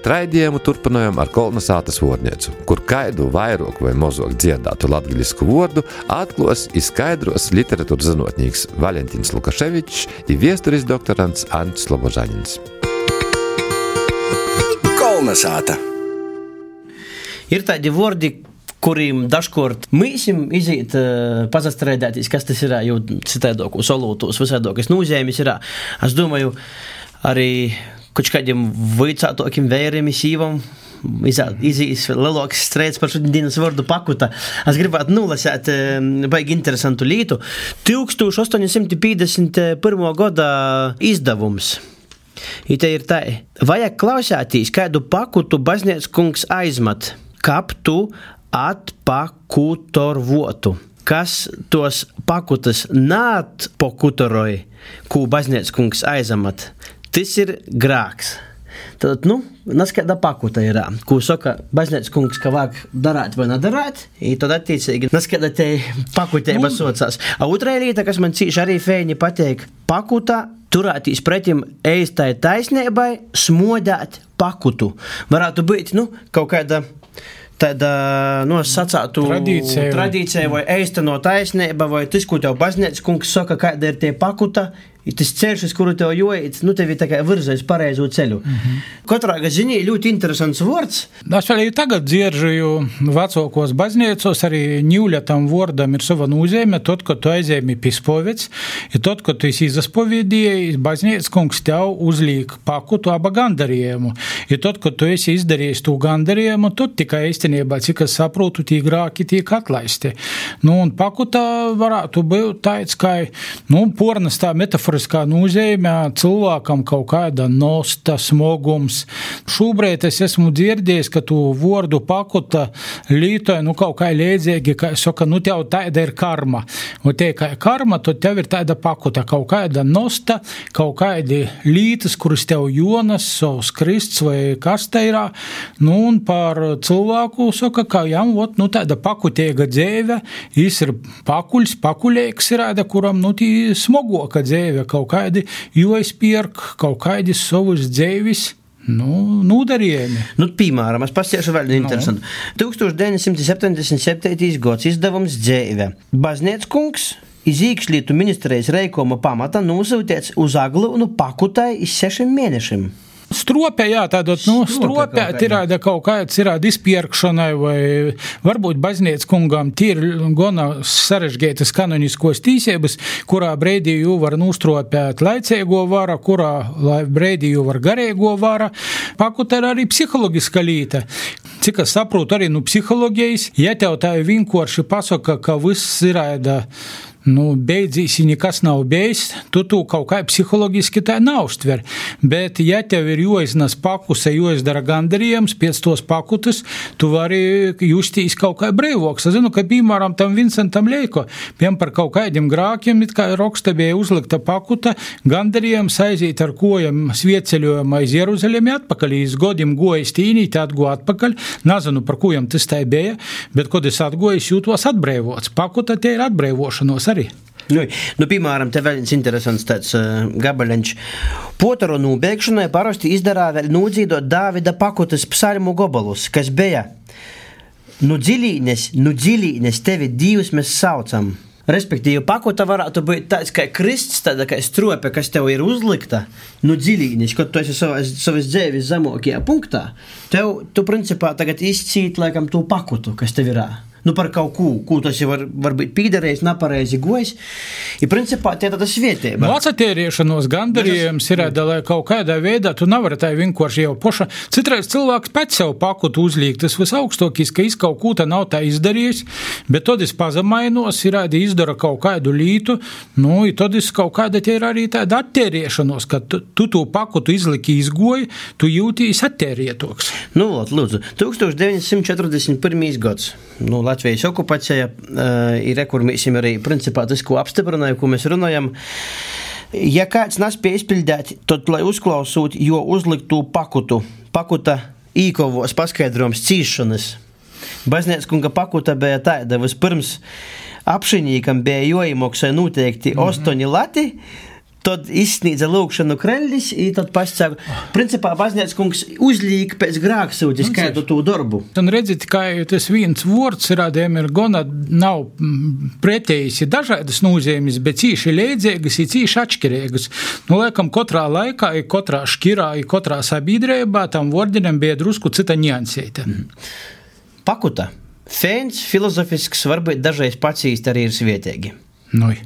Raidījumu turpinājām ar Kolnasātas vārnīcu, kur kaidu vairāk vai mazāk dziedātu latgaļisku vārdu atklās izskaidros literatūras zinotnīgs Valentīns Lukaševičs un viesturis doktorants Ants Slobožaņins. Kolnasāta. Ir tādi vārdi, kuriem dažkort mīsim izīt pazastrēdētīs, kas tas ir, jo citēdokos, olūtos, visādokos nūzēmis ir. Es domāju, arī kaut kādiem vaicātokiem vēriem sīvam izīs lielāks strēds par šodienas vārdu pakuta. Es gribētu nolasēt baigi interesantu lītu. 1851. gada izdevums. I te ir tā. Vajag klausētīs, kādu pakutu baznīcas kungs aizmat, kap tu atpakutorvotu. Kas tos pakutas neatpakutoroja, ko baznīcas kungs aizamat, tas ir grāks. Tad, naskaida pakuta ir, ko saka baznīcas kungs, ka vajag darāt vai nedarāt, i tad attiecīgi naskaida te pakutēba socās. A otrā līta, kas man cīši arī feini pateik, pakuta turētīs pretim eistai taisnībai, smodāt pakutu. Varētu būt, kaut kāda tāda, sacātu tradīcija vai eistano taisnība, vai tas, ko tev baznīcas kungs saka, kāda ir tie pakuta, i tas ceļš, uz kuru tev joīt, tev ir tā kā virzais pareizo ceļu. Katrā ziņā ļoti interesants vārds. Es vēl tagad dzieržoju vecākos baznīcos, arī ņūļatam vārdam ir sava nozīme, tad, kad tu aizēmi pispovets, i tad, kad tu esi izaspoviedīji, baznīcas kungs tev uzlīk pakutu aba gandarījumu. I tad, kad tu esi izdarījis tū gandarījumu, tad tikai īstenībā, cik es saprotu, tī grāki tiek atlaisti. Un pakuta varētu būt tāds, kā, pornas tā metaforiskā nozīmē cilvēkam kaut kāda nosta, smogums. Šobrīd es esmu dzirdējis, ka tu vārdu pakuta lītoja, kaut kā līdzīgi, ka saka, tev tāda ir karma. Un te kā karma, tad tev ir tāda pakuta, kaut kāda nosta, kaut kādi lītas, kuras tev jonas, savs krists vai kas te ir. Un par cilvēku saka, ka jām, tāda pakutēga dzēve, jis ir pakuļīgs ir, kuram, tī smogoka dzēve, kaut kādi joizpierk, kaut kādi savus dzēvis, nūdarījumi. Piemēram, es pasiešu vēl interesantu. 1977. gads izdevums dzēve. Baznīcas kungs iz iekšlietu ministrijas reikuma pamata nosūtīts uz Aglūnu pakutai iz 6 mēnešiem. Stropē, tādot, stropē tirāda kaut kāds irāda izpierkšanai, vai varbūt baznīcas kungam ir gana sarežģītas kanoniskos tīsības, kurā breidī jū var nūstropēt laicēgo vara, kurā breidī jū var garēgo vara. Pakuta ir arī psihologiska līta. Cik es saprotu arī psihologijas, ja tev tā vienkārši pasaka, ka viss irāda beidzīs, nekas nav beidzis, tu kaut kā psihologiski tā neuztver. Bet, ja tev ir joiznas pakuse, joizdara gandarījums pēc tos pakutas, tu vari justīs kaut kā breivoks. Es zinu, ka, piemēram, tam Vincentam Leiko, par kaut kādiem grākiem, it kā roksta bija uzlikta pakuta, gandarījums aizīt ar kojam svieceļojumā iz Jeruzalemi atpakaļ, iz godim gojas tīnīt, atgo atpakaļ. Nezinu, par kojam tas tā bija, bet, kad es atgoju, es jūtos atbreivots. Pakuta te ir atbreivošanos arī. Piemēram, te vēl viens interesants tāds gabaļņš. Potaro nūbeigšanai parasti izdarā vēl nūdzīdot Dāvida pakutas psalmu gobalus, kas bija dziļīnes tevi Dievs mēs saucam. Respektīvi, pakuta varētu būt tāds kā krists, tāda kā strope, kas tev ir uzlikta, dziļīnis, kad tu esi savas dzēvis zemokajā punktā, tu principā tagad izcīt, laikam, tu pakutu, kas tev ir. Par kaut ko tas jau var būt pīdarējis, nepareizi gojis. I principā tie tāda svietēba. Atceriešanos gandarījums ir, lai kaut kādā veidā tu nevari tā vienkārši jau poša. Citreiz cilvēks pēc sev pakutu uzlīk, tas visaugstākais, ka kaut ko tā nav tā izdarījis, bet tad es pazemainos, ir izdara kaut kādu lītu, i tad es kaut kāda tie ir arī tāda attēriešanos, ka tu to pakutu izliki izgoji, tu jūtīs attērietoks. Lūdzu, 1941. gads. Latvijas okupācija ir, kur mēs arī principā tas, ko apstiprināja, ko mēs runājam. Ja kāds nespēja izpildīt, tad, lai uzklausot, jo uzliktu pakuta īkovos paskaidrojums cīšanas. Baznīcas kunga pakuta bija tāda, vispirms apšinīkam bija joīmoksai noteikti 8 lati, tad izsniedza lūgšanu kreļļis, i tad pasaka, principā baznīcas kungs uzlīk pēc grāksūtis kādu to darbu. Un redzit, kā tas viens vords rādēm ir gona nav pretējis dažādas nozīmes, bet cīši leidzīgas i cīši atšķirīgas. Nu, laikam, katrā laikā, i katrā škirā, i katrā sabiedrībā tam vordinam bija drusku cita niansēta. Pakuta. Feins, filozofisks, varbūt dažreiz pacīst arī ir svietīgi. Noi.